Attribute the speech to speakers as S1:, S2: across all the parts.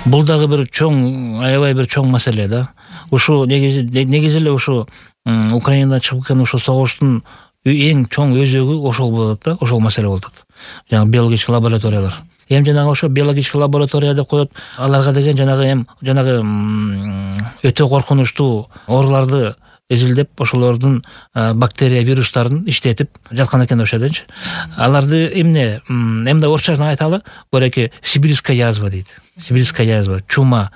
S1: Бул дагы бир чоң, аябай бир чоң маселе да. Ушу негизи эле ушу Украинадан чыгып кеткен ушу согуштун эң чоң өзөгү ошол болот да, ошол маселе болот. Жаңа биологический лабораториялар. Жанагы ошо биологический лаборатория деп коет. Аларга деген жанагы өтө коркунучтуу ооруларды изилдеп, ошолордун бактерия, вирустарын иштетип жаткан экен ошо жерденчи. Аларды эмне орусча айталы, бореки сибирская язва дейт. Сибирская язва, чума,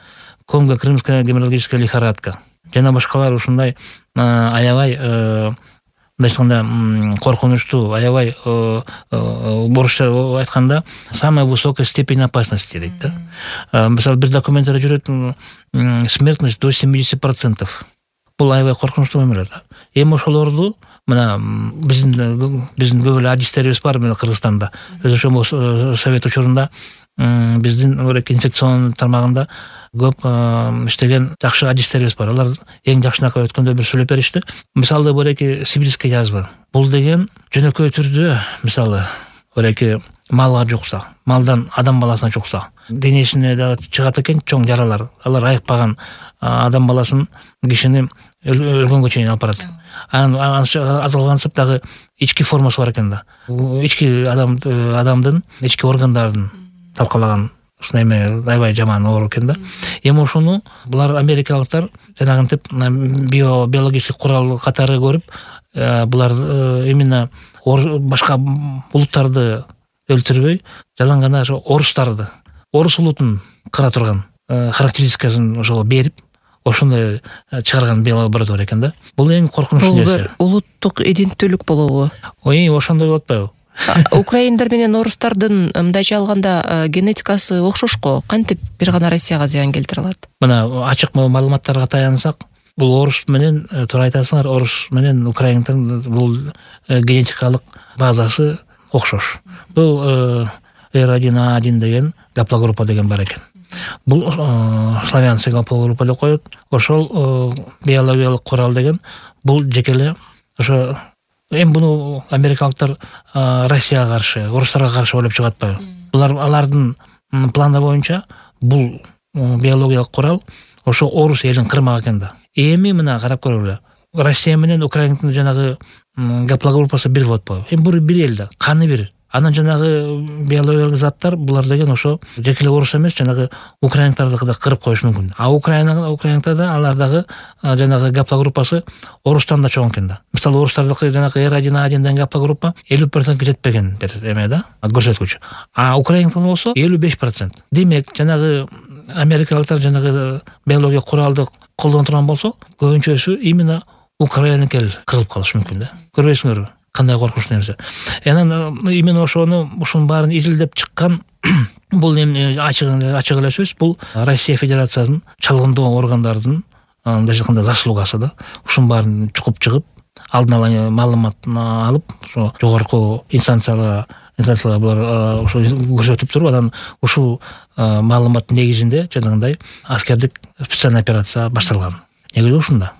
S1: конго-крымская геморрагическая лихорадка жана башкалар ушундай аябай айтканда коркунучтуу, аябай орусча айтканда самая высокая степень опасности дейт да. Мисалы бир документте жүрөт, смертность до 70%. Бул аябай коркунучтуу эмелер да. Эми ошолорду мына биздин көп эле адистерибиз бар мына Кыргызстанда. Ошол совет учурунда биздин инфекцион тармагында көп иштеген жакшы адистерибиз бар. Алар эң жакшынакы өткөндө бир сүйлөп беришти. Мисалы бореки сибирская язва. Бул деген жөнөкөй түрдө мисалы бореки малга жукса, малдан адам баласына жукса, денесине дагы чыгат экен чоң жаралар. Алар айыкпаган адам баласын, кишини өлгөнгө чейин алып барат. Азалгансып дагы ички формасы бар экен да. Ички адамдын ички органдарын талкалаган ушундай аябай жаман оору экен да. Эми ошону булар америкалыктар жанагынтип биологический курал катары көрүп, булар именно башка улуттарды өлтүрбөй, жалаң гана ошо орус улутун кыра турган характеристикасын ошого берип, ошондой чыгарган биолаборатория экен да. Бул эң коркунучтуу нерсе.
S2: Бул бир улуттук иденттүүлүк болобу?
S1: Ошондой болуп атпайбы?
S2: Украиндар менен орустардын мындайча алганда генетикасы окшош го. Кантип бир гана Россияга зыян келтире алат?
S1: Мына ачык маалыматтарга таянсак, бул орус менен туура айтасыңар, орус менен украиндын бул генетикалык базасы окшош. Бул R1A1 деген гаплогруппа деген бар экен. Бул славянский гаплогруппа деп коет. Ошол биологиялык курал деген бул жекеле ошо буну америкалыктар Россияга каршы, орустарга каршы ойлоп чыгып атпайбы? Булар алардын планы боюнча бул биологиялык курал ошо орус элин кырмак экен да. Эми мына карап көрөлү. Россия менен Украинанын жанагы гаплогруппасы бир болуп атпайбы? Бул бир эл да, каны бир. Анан жанагы биологиялык заттар булар деген ошо жекеле орус эмес, жанагы украинтарды да кырып коюшу мүмкүн. Украинада алардагы жанагы гаплогруппасы орустан да чоң экен да. Мисалы орустардыкы жанагы R1A1 деген гаплогруппа 50% жетпеген бир эме да, көрсөткүч. Украинада болсо 55%. Демек, жанагы америкалыктар жанагы биологиялык куралды колдоно турган болсо, көбүнчөсү именно Украинакел кырылып калышы мүмкүн да. Көрбөйсүңөрбү? Кандай коркунучтуу нерсе. Анан именно ошонун баарын изилдеп чыккан бул эми ачык эле сөз, бул Россия Федерациясынын чалгындоо органдардын мындайча айтканда заслугасы да. Ушунун баарын чыгып, алдын ала маалымат алып, ошо жогорку инстанцияга булар ошо көрсөтүп туруп, анан ушул маалыматтын негизинде жанагындай аскердик специальный операция башталган. Негизи ушунда.